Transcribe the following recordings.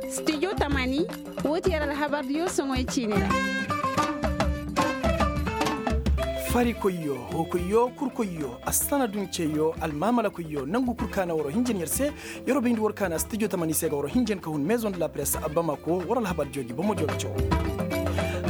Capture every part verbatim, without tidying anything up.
Studio tamani, woo ti yer alhabardiyo soŋoy ciini ra. Farikoyyo, hookoyyo, kurkoyyo, assana dunceyo, almaamalakoyyo, nangu kul ka na waroo hinjan yer se. Yeroo bayndi war ka na studio tamani se ga waroo hinjan ka hun maison de la presse bamako war alhabardiyo gi bomo jooga caw.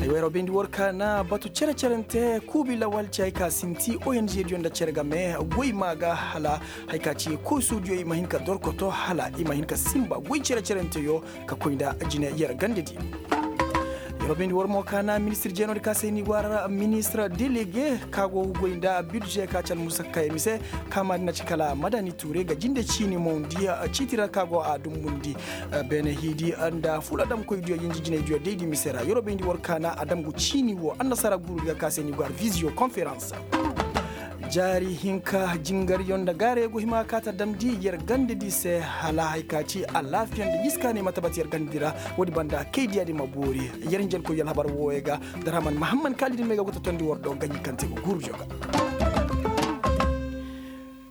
Aywa, yeroo bayndi war ka na batu cere-cerente kuubi lawal ci hay ka sinti ong diyo nda cere game goy maa ga hala hay ka ci koosuudiyo i ma hin ka dorkoto hala i ma hin ka sinba goy cere-cerenteyo ka koy nda jine yer gandedi. Yeroo bayndi war mo ka na ministir jeenoo di ka se ni go a ra ministir delege ka go goy nda bidže ka ci almusakkayey mise. Ka maadi na ci kala madani tuure ga jinde ciini mo ndi ciiti ra ka go a dumbundi beene hiidi nda fula damkoydiyo yinji jinaydiyo daydi mise ra yeroo bayndi war ka na a damgu ciini wo annasaara guuru di ga ka se ni go a ra visio konferans. Jaari hinka jingaryo nda gaarey go hima ka ta damndi yer gandedi se hala hay ka ci alaafiya nda yiskaaney ma tabati yer gandedi ra. Woodi banda kaydiyaadi ma boori. Yer hinjankoy alhabar wooyo ga. Darhaman mahamman kaalidi me ga go ta tondi war do ganji kaŋ te go guuru joga.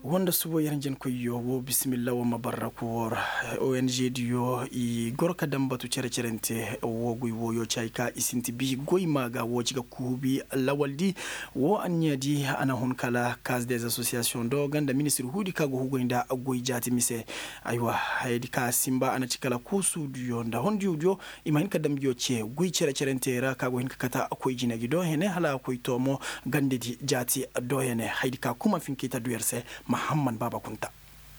Woo nda subo yer hinjankoyyo woo bisimilla woo ma barraku woo ra. Ong diyo i goro ka daŋ batu cere-cerente woo goy wooyo ci hay ka i sinti bi goy maa ga woo ci ga kuubi lawaldi. Woo anniya di a na hun kala kaas des asosiyasiyoŋ do ganda ministir huudi ka go hugoy nda goy jaati mise. Aywa, hayadi ka sinba a na ci kala kuusuudiyo nda hondiyodiyo i ma hin ka damjiyo ce goy cere-cerentey ra ka go hin ka kata koy jine gi do hene hala a koy toomo. Gandedi jaati do hene hayadi ka kuma finkey ta du yer se. Mahamman baaba kunta.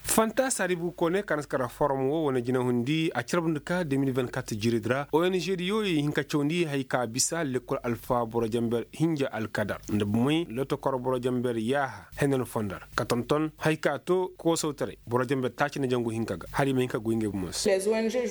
Fanta saribu kone ka na si kara forom wo wane jinahundi a carbundi ka de mil vingt-quatre jiridi ra ong diyo i hin ka cawndi hay ka bisa lekkol alfa boro jamber hinja alkadar nda bumey lotokor boro jamber yaaha henen fondar ka tonton hay ka to koosawtaray boro jamber taaci nda jangu hinka ga hala i ma hin ka goy ngey bumo se.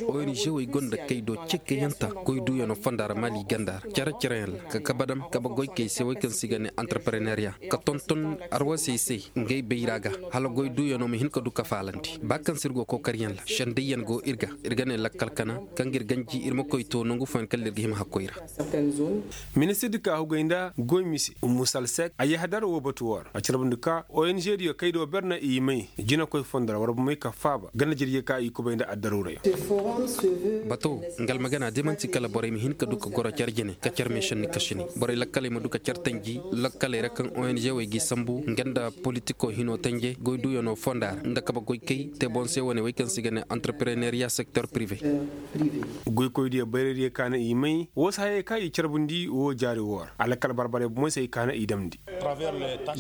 Ong wey gonda kay do cekkey yaŋ ta goy duuyano fondar mali gandar care-careyaŋ ra ka kabe dam kabe goykey se wey kaŋ se i ga ne antarpareneriya ka tonton arwasey se. Ngey bayra ga hala goy duuyano ma hin ka du ka faalandi ba kaŋ se ir go kokaryaŋ ra sendayyaŋ go ir ga ir ga ne lakkal kana kaŋ ga ir ganji ir ma koy to nangu fooyaŋ kala ir ga hima hakkoy ra. Ministir di ka hugay nda goy mise umu salsek a yahadar wo batu woo ra a carbundi ka ong diyo kay do ber na i may jinakoy fondo ra war bumey ka faaba ganda jirjey ka i kubay nda addaruurayaŋ. Bato nga almagana da man'ti kala borey ma hin ka du ka goro care jine ka care meesanni kasini borey lakkaley ma du ka care tanji lakkaley ra kaŋ ong wey g'i sambu nga nda politiko hino tanje goy duuyano fonda ra nda kabe goykey te boŋ se wane wey kaŋ se i ga ne antarpreneriya sektor prive. Goykoydiyo bayraydiyo kaana i may woo se hayey kaŋ i carbundi woo jaari woo ra a lakkal barbarey bomoy se i kaana i damndi.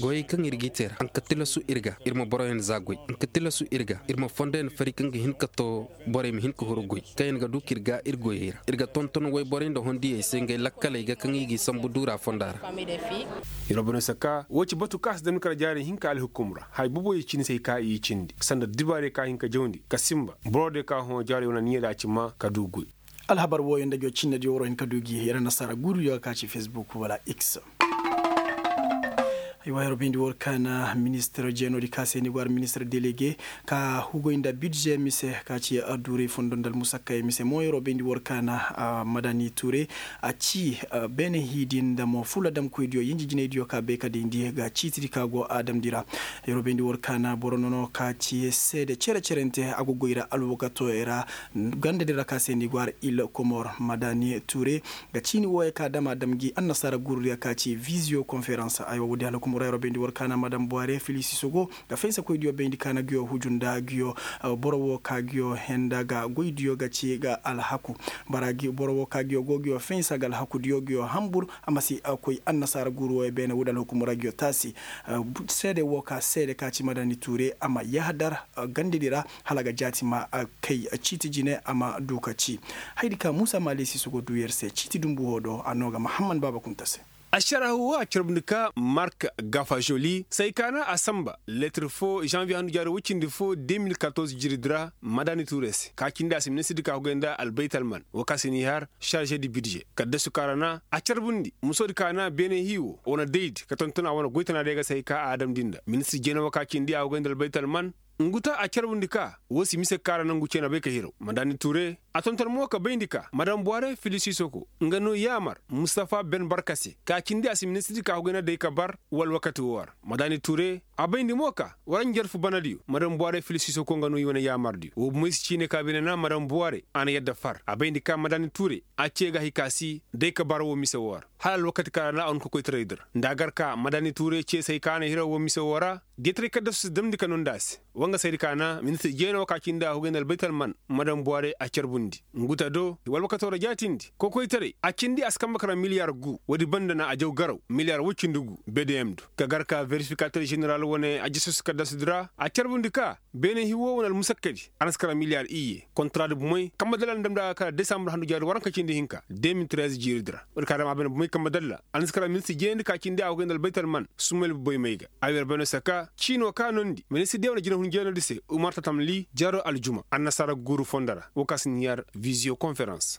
Goyey kaŋ ir g'i te ra a nka tilasu ir ga ir ma boroyaŋ zaa goy a nka tilasu ir ga ir ma fondoyaŋ fari kaŋ ga hin ka too borey ma hin ka huru goy kaŋ yaŋ ga du ka ir ga ir goyey ra ir ga tonton woyborey nda hondiyey se ngey lakkaley ga kaŋ i g'i sambu duura fonda ra. Yer boro no saka woo ci batu kaŋ a si damni kala jaarey hinka alhukum ra haya boboyey cindi se hay ka i cindi sanda dibaarey ka hin ka jawndi ka sinba boro diyo ka hõ jaarey wane anniya da a ci maa ka du goy. Alhabar wooyo nda ngi wo cinnediyo waroo hin ka du gi yer annasaara guuruyo ga ka ci fesbuk wala x. Aywa yer bayndi war ka na ministir jeenoo di ka se ni go har ministir delege ka hugoy nda bidže mise ka ci adduurey fondo nda almusakkayey mise mo yer bayndi war ka na madani tuure a ci beene hiidi nda mo fula damkoydiyo yinji jinaydiyo ka bay ka dayndi ga ciitidi ka go a damndi ra. Yer bayndi war ka na boro nono ka ci seede cere-cerente a go goy ra alwakatooyo ra ganda din ra ka se ni go har il komor madani tuure ga ciini wooyo ka dam a dam gi annasaara guurudiyo ka ci visio konferans aywa woodi hala kumura yer bayndi war ka na madam buware filisi sogo ga fensakoydiyo bayndi ka na ngiyo huju nda ngiyo boro woo ka ngiyo henda ga goydiyo ga ci ga alhaku. Boro woo ka ngiyo go ngiyo fensa ga alhakudiyo ngiyo hambur a ma si koy annasaara guuru wooyo beene woodi alhakumura ngiyo taasi seede woo ka seede ka ci madani tuure a ma yahadar gandedi ra hala ga jaati ma kay ciiti jine a ma du ka ci. Hayadi ka muusa maalisi sogo du yer se ciiti dumbu woo do a noo ga mahamman baaba kunta se. Ašarahu woo a carbundi ka mark gafajoli se hay ka na a sanba leetir foo žanviye handu jaari woy cindi foo de mil katorze jiridi ra madani tuure se ka cindi a se ministirdi ka hugay nda albaytalman woo ka se n'i har šarže di bidže kaddasu ka ra na a carbundi musoodi ka na beene hii woo wane daydi ka tonton a wane goytanaadiyo ga se hay ka a damndi nda ministir jeene woo ka cindi a hugay nda albaytalman. Ngu ta a carbundi ka woo si mise kaara nangu cee na bay ka hiraw madaani tuure. A tonton mo ka bayndi ka madam buware fili sisoko nga no yaamar mustafa ben barka se ka cindi a si ministirdi ka hugay na day ka bar wala wakati woo ra. Madaani tuure a bayndi mo ka war njarfu banadiyo madam buware fili sisoko nga no i wane yaamardiyo woo bumey si ciine ka beene na madam buware a na yadda far a bayndi ka madaani tuure a cee ga hay ka si day ka bar woo mise woo ra. Hala alwakati ka ra na a hun ka koytaray di ra nda a gar ka madaani tuure cee se hay ka a na hiraw woo mise woo ra. Deetaray kaddasu si damndi ka nondi a se. Wa nga saydi ka na ministir jeena woo ka cindi a hugay nda albaytal man madam buware a carbundi ngu ta do wala wakatoo ra jaatindi kokoytaray a cindi a si kambe ka ra miliyar gu woodi banda na a jaw garaw miliyar woy cindi gu. Bedeyem do ka gar ka verifikater ženeral wane a jasus kaddasudi ra a carbundi ka beene hiwoo wane almusakkadi a na si kara miliyar iyye kontaraadi bumey kambe dalla na damndi a ga kara desambur handu jaari waranka cindi hinka de mil trez jiiridi ra. Woodi ka dam a beene bumey kambe dalla a na si kara ministir jeendi ka cindi a hugay nda albaytal man sumayil bubey may ga. A wer beene saka ciinoo ka nondi ministir diya wane jinahun jeenodi se umar tatam li jaro aljuma annasaara guuru fondo ra woo ka si ni yar viziyo konferans.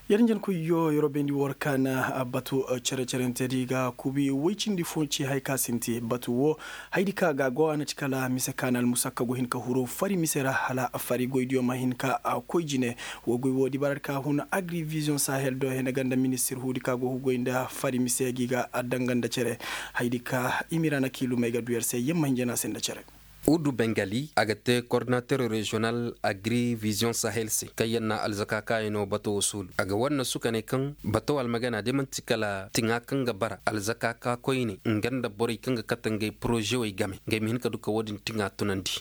Yer njenkoyyo yer wo bayndi war ka na batu cere-cerentedi ga kubi woy cindi fo ci hay ka sinti batu wo. Haydi ka ga go a na ci kala mise ka na almusakka go hin ka huru fari mise ra hala fari goydiyo ma hin ka koy jine. Wo goy wo dibaradi ka hun agri vision sahel do hene ganda ministir huudi ka go hugoy nda fari mise gi ga danga nda cere. Haydi ka imira na kiilumey ga du yer se yamma hinja na se nda cere. Udu bengali a ga te kordinater reziyonal agri vision sahel se kaŋ yaŋ na alzaka kaayaŋo bato wo suulu a ga war na sukanay kaŋ bato almagana day man'ti kala tiŋa kaŋ ga bara alzaka ka koyne nga nda borey kaŋ ga kate ngey porozewey game ngey ma hin ka du ka wo-din tiŋa tunandi.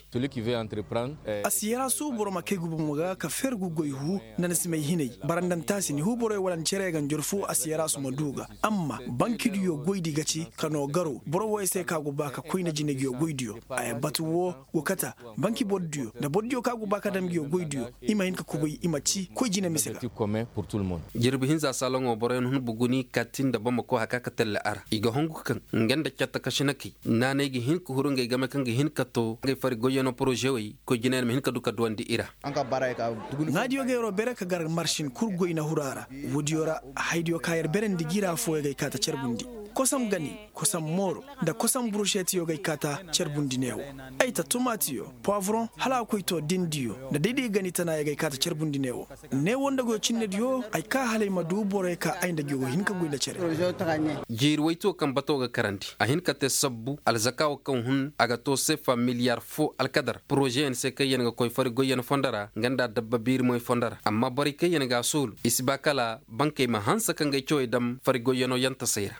A si yara suubu boro ma kay guba mo ga ka fer gu goy hu nda ni si may hinay barandanta si ni hu borey wala ni cere ga njorfu a si yara su ma du ga. Amma bankidiyo goydi ga ci ka noo garo boro woy se ka go ba ka koyne jinaydiyo goydiyo. Ay batu wo go kata banki bordiyo nda bordiyo ka go ba ka dam nguyo goydiyo i ma hin ka kubay i ma ci koy jine mise ga. Jirbi hinza saloŋo boroyaŋ hun buguni kaati nda bamako haka ka telle a ra i ga hongu kaŋ nga nda catta kasinakey naanay ga hin ka huru ngey game kaŋ ga hin ka to ngey fari goyyaŋo porozewey koy jinayaŋ ma hin ka du ka duwandi i ra. Ŋaadiyo ga yeroo bere ka gar marsin kul goy na huru a ra. Woodiyo ra haydiyo ka yer berendi gira fooyo gay kaata carbundi kosam gani kosam mooro nda kosam burušetiyo gay kaata carbundi neewo. Ay ta tumaatiyo poivoron hala a koy to dindiyo nda dayday gani tanaaya gay kaata carbundi neewo. Neewo nda goyo cinnediyo ay ka hala ay ma du boroyo ka ay nda gi go hin ka goy nda cere. Jiiri woytuwo kaŋ bato ga karandi a hin ka te sabbu alzaka wo kaŋ hun a ga to sefa miliyar fo alkadar porozeyaŋ se kaŋ yaŋ ga koy fari goyyaŋ fondo ra nga nda dabba biirimoy fondo ra amma borey kaŋ yaŋ ga a soolu i si ba kala bankey ma hanse ka ngey cawey dam fari goyyaŋo yantasey ra.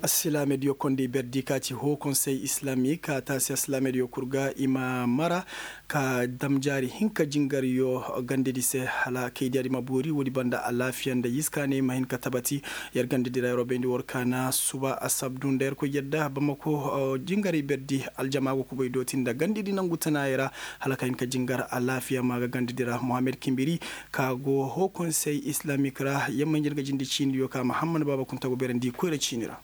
Asilaamediyo kondey berdi ka ci hoo konsey islamik a taasi asilaamediyo kul ga i ma mara ka dam jaari hinka jingariyo gandedi se hala kaydiyaadi ma boori woodi banda alaafiya nda yiskaaney ma hin ka tabati. Yer gandedi ra yer wo bayndi war kaana suba asabdu nda yer koy yadda bamako jingaray berdi aljama go kubay dooti nda gandedi nangu tanaayey ra hala ka hin ka jingar alaafiya ma ga gandedi ra mohammed kimbiri ka go hoo konsey islamik ra yamma hinja nga jindi ciiniyo ka mahammad baaba kunta go beerandi koyra ciini ra.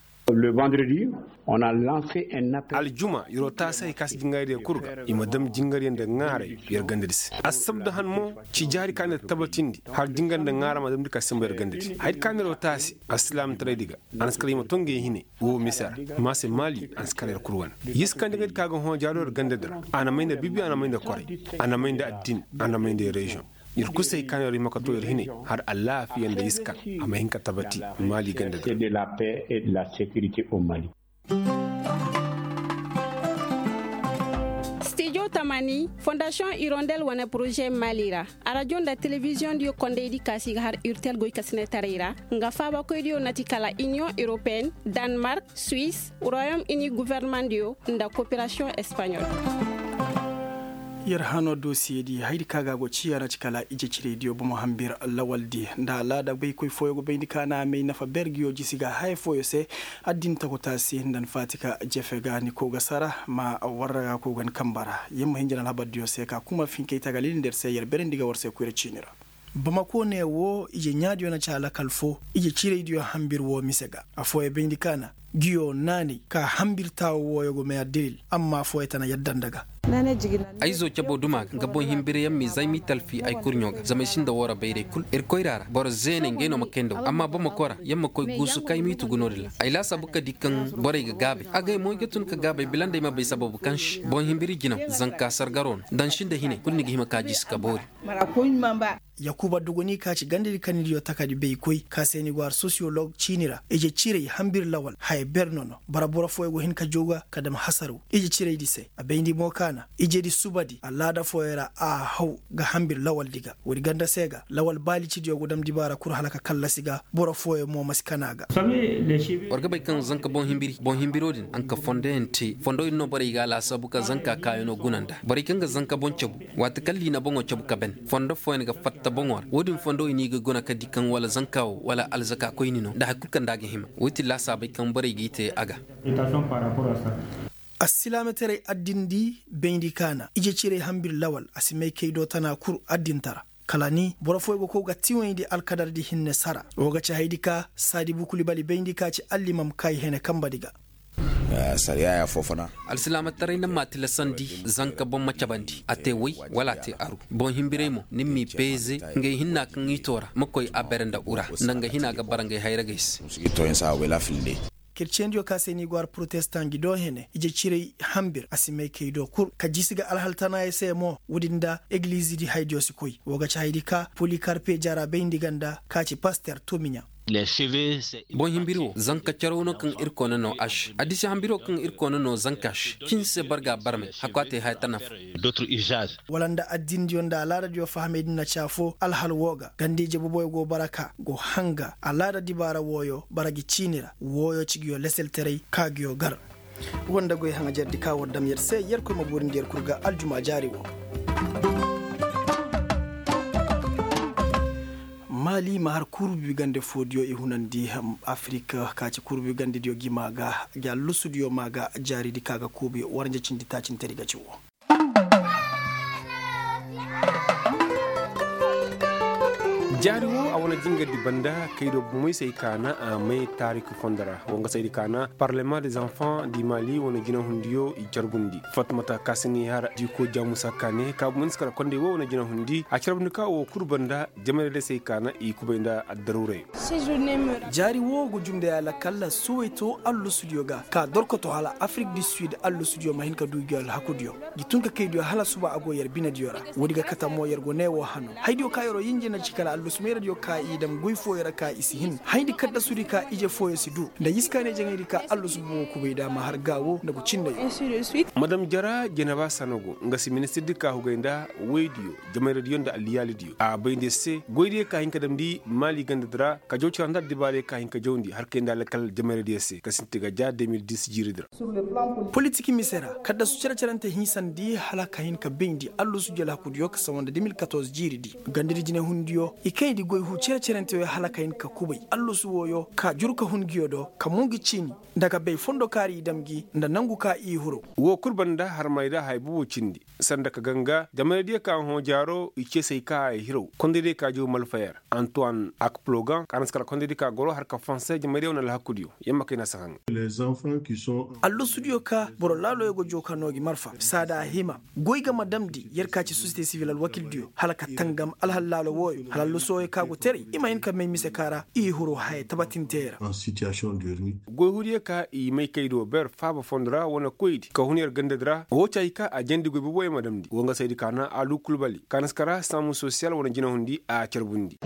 Aljuma yer wo taasi hay ka si jingaraydiyo kul ga i ma dam jingaryaŋ nda ŋaaray yer gandadi se. Assabda han mo ci jaari ka na yer tabatindi har jingar nda ŋaara ma damndi ka sambu yer gandadi hayadi ka na yer wo taasi alsilaamtaraydi ga. A na si kala i ma to ngey hine woo mise ra. Maase maali a na si kala yer kul wane. Yiskandi ŋaydi ka ga hõ jaaro yer gandadi ra a na may nda bibi a na may nda koray a na may nda addin a na may nda yer reziyoŋ. Yer kul se hay ka no yer hima ka to yer hinay har alaafiya nda iska a ma hin ka tabati maali ganda da. Stijo tamani fondasiyoŋ irondel wane poroze maali ra arajo nda telebiziyoŋ diyo kondaydi kaasi ga har urtel goy ka sinetaray ra. Nga faabakoydiyo na ti kala iniyoŋ europeen, danmark, suwis, royom ini guvernemandiyo nda koperasiyoŋ espaɲol. Yer hano dosiyedi haydi ka ga go ciya na ci kala ije ciraydiyo bomo hambir lawaldi nda alaada baykoy fooyo go bayndi ka na may nafa bergiyo jisi ga haya fooyo se. Addin takuta se nda ni faati ka jefe ga ni kow ga sara ma warra ga kow ga ni kamba ra. Yer ma hinja na alhabardiyo se ka kuma finkey tagalil nda yer se yer berendi ga war se koyra ciini ra. Bamako ne wo ije ɲaadiyo na ci alakal fo ije ciraydiyo hambir wo mise ga. Afooyo bayndi ka na Giyo naanay ka hambir taawo wooyo go may addalil amma fooyo tana yadda nda ga. Ay zo cabo duma ga nga boŋ himbirayaŋ m'i zay m'i talfi ay kurɲo ga zama ay sinda woora bayray kul ir koyra ra boro zeeney ngey no ma kay nda wo amma boro ma kora yer ma koy guusu ka ay m'i tugu no-din ra. Ay laasaabu ka di kaŋ borey ga gaabay agay mo ay ga tun ka gaabay bila nda ay ma bay sababu kaŋ se boŋ himbiri jinaw zanka sargaro no. Dansi nda hinay kulu ni ga hima ka jisi ka boori. Yakuba duguni ka ci gandadi kannidiyo takadi baykoy ka se ni go har sosiyolog ciini ra ije ciray hambir lawal haya ber no no bara boro fooyo go hin ka jooga ka dam hasaraw ije ciraydi se a bayndi mo kaana ijedi subadi alaada fooyo ra a haw ga hambir lawaldi ga woodi ganda se ga lawal baalicidiyo go dam dibaara kul hala ka kallasi ga boro fooyo mo ma si kana ga. War ga bay kaŋ zanka boŋ himbiri boŋ himbiro din a nka fondo yaŋ te fondo din no borey ga a laasaabu ka zanka kaayano guna nda borey kaŋ ga zanka boŋ cabu waati kaŋ liina boŋo cabu ka ban fondo fooyaŋ ga fatta boŋo ra wo-din fondo i n'i ga guna ka di kaŋ wala zanka wo wala alzaka koyni no nda hari kulu kaŋ nda a ga hima wo ti laasaabey kaŋ borey g'i te a ga. Assilaamataray addindi bayndi kaana ije ciray hambir lawal a si may kay do tana kul addintara kala ni boro fooyaŋ go kow ga tiwayndi alkadardi hinne sara wo ga ci haydi ka saadi bukuli bali bayndi ka ci allimam kaayi hene kambadi ga. Alsilaamataray na ma tilasandi zanka boŋ ma cabandi a te way wala a te aru boŋ himbiray mo ni m'i beeze ngey hinna kaŋ i to ra ma koy a bere nda ura nda nga hina ga bara ngey hayragey se. Kerciyendiyo ka se ni go har protestan gi do hene ije ciray hambir a si may kay do kul ka jisi ga alhal tanaayey se mo woodi nda egilizidi haydiyo si koy wo ga ci haydi ka polikarpe jara bayndi ganda ka ci paster tumiɲa. Boŋ himbiri wo zanka caraw no kaŋ irkoy na no a se addisi hambiro kaŋ irkoy na no zanka se cin se barga barmay hakku a te haya tana fo. Wala nda addindiyo nda alaadadiyo fahamay din na ci afo alhal woo ga ganda-ije boboyo go bara ka go hanga alaada dibaara wooyo bara gi ciini ra wooyo ci nguyo leseltaray ka nguyo gar. Woo nda goy haŋajerdi ka war dam yer se yerkoy ma boorindi yer kul ga aljuma jaari woo. Maali ma har kurbi gande foodiyo i hunandi afirik ka ci kurbi gandediyo gi maa ga gi allusudiyo maa ga jaaridi ka ga kuubi waranja cindi taacintari ga ci woo. Jaari woo a wane jingardi banda kaydo bomey se ay kaana a may taarik fondo ra woo nga se ay di kaana parlement des enfants di maali wane jinahundiyo i carbundi fatmata ka si n'i har diiko jaamusa kaane ka bomey ni si kala kondey woo wane jinahundiyo a carbundi ka woo kul banda jamayra day se ay kaana i kubay nda addaruuray. Jaari woo ga jumnday alakalla suway to allusudiyo ga ka dorkoto hala afirik di sid allusudiyo ma hin ka du gi alhakudiyo gi tun ka kaydiyo hala suba a go yer binediyo ra. Woodi ga kate mo yer go ne woo hano haydiyo ka yeroo yinjina ci kala allusu mayradiyo ka i dam goy fooyo ra ka i si hin hayndi kaddasudi ka ije fooyo si du nda yiskaaney jaŋaydi ka allusu bobo kubay nda a ma har gaawo nda go cindayo. Madam jara jeneba sanogo nga si ministirdi ka hugay nda woydiyo jamayradiyo nda alliyaalidiyo a bay nda yer se goydiyo ka hin ka damndi maali gandadi ra ka jaw cara nda addibaarey ka hin ka jawndi har kay nda alkal jamayradiyo se ka sinti ga ja de mil dis jiiridi ra. Politik mise ra kaddasu cere-cerente hiisandi hala ka hin ka bayndi allusu jel hakudiyo ka sawa nda de mil katorze jiiridi gandadi jinehundiyo i kayndi goy huu cere-cerenteyo hala ka hin ka kubay allusu wooyo ka jur ka hun nguyo do ka mun gi ciini nda ka bay fondo kaari i dam gi nda nangu ka i huru. Woo kul banda harmayda haya bobo cindi sanda ka ganga jamaydiyo ka hõ jaaro i ceesay ka a hiraw kondaydiyo ka jaw malfayer antoine akplogan ka na si kala kondaydiyo ka goro har ka fonse jamaydiyo wane alhakudiyo yer ma kay na si haŋ. Allusudiyo ka boro laaloyo go joo ka noo gi marfa saada a hima goy ga ma damndi yer ka ci sosiyete sivil alwakildiyo hala ka tangam alhal laalo wooyo hala allusudiyo ka go teray i ma hin ka may mise ka ra i huru haya tabatintey ra. Goyhuriyo ka i may kaydo ber faaba fondo ra wane koydi ka hun yer gandadi ra woo caayi ka a jandi goy boboyo ma damndi woo nga saydi ka na alu kulbali ka na si kara saamu sosiyal wane jinahundi a carbundi.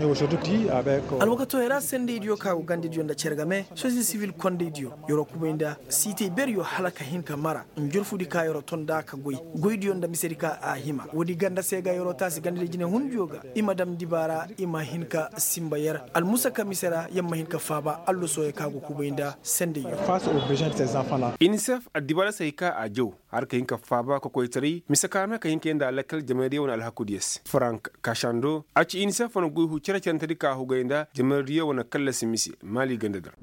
Alwakatoyo ra sendaydiyo ka go gandadiyo nda cere game sosiyete sivil kondaydiyo yeroo kubay nda siitey beryo hala ka hin ka mara njurfudi ka yeroo ton nda ka goy goydiyo nda misedi ka a hima woodi ganda se ga yeroo taasi gandadi jinehundiyo ga i ma dam dibaara i ma hin ka sinba yer almusaka mise ra yer ma hin ka faaba allusoyo ka go kubay nda sendayyo. Inisef addibaara se hay ka a jaw Har ka hin ka faaba kokoytaray mise ka na ka hin ka yee nda lakkal jamaydiyo wane alhakudiyo se frank kashando a ci inisef wane goy hu cere-cerentedi ka hugay nda jamaydiyo wane kallasi mise maali ganda di ra.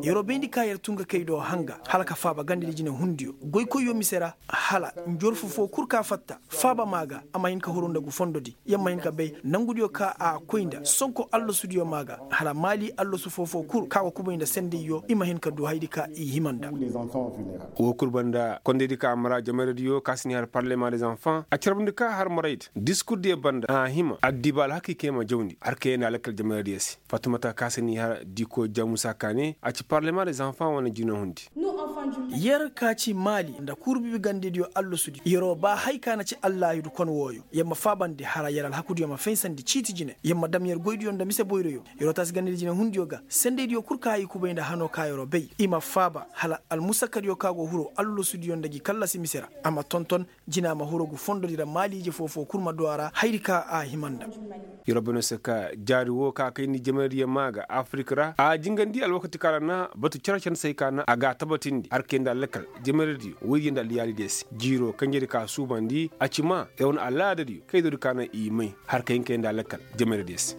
Yeroo bayndi ka yer tun ga kay do hanga hala ka faaba gandadi jinehundiyo goykoyyo mise ra, hala njorfu foo kul ka fatta faaba maa ga a ma hin ka huru nda gu fondodi. Yer ma hin ka bay nangudiyo ka a koy nda sonko allasudiyo maa ga, hala maali allasu foo-foo kul ka go kubay nda sendayyo i ma hin ka du hayadi ka i hima nda. Woo kul banda kondaydi ka a mara jamayradiyo ka si n'i har parlema de zanfan a carbandi ka har maraydi diskurdiyo banda a hima addiba alhakay kay ma jawndi har kay nda lakkal jamayradiyo se. Fatumata ka si n'i har diko jamusa ka ne a ci parlema de zanfan wane jinahundi. Yer ka ci maali nda kuuru bibi gandediyo allasudi yeroo ba hay ka na ci allaahidu kon wooyo yer ma faabandi hala yer alhakudiyo ma faysandi ciiti jine yer ma dam yer goydiyo nda mise boyroyo. Yeroo taasi gandedi jinehundiyo ga sendaydiyo kul ka i kubay nda hanoo ka yeroo bay i ma faaba hala almusakkadiyo ka go huroo allasudiyo nda gi kallasi mise ra a ma tonton jina ma huru gu fondodi ra maaliije foo-foo kul ma du a ra hayadi ka a hima nda. Yeroo bay no se ka jaari woo ka kayndi jamaydiyo maa ga afirik ra a jingandi alwakati ka ra na batu cere-cere se ka na a ga a tabatindi har kay nda lakkal jamaydiyo woydiyo nda alyaalidiyo se jiiroo kanjedi ka suubandi a ci maa yer wane alaadadiyo kaydoodi ka na i may har kay hin kay nda lakkal jamaydiyo se.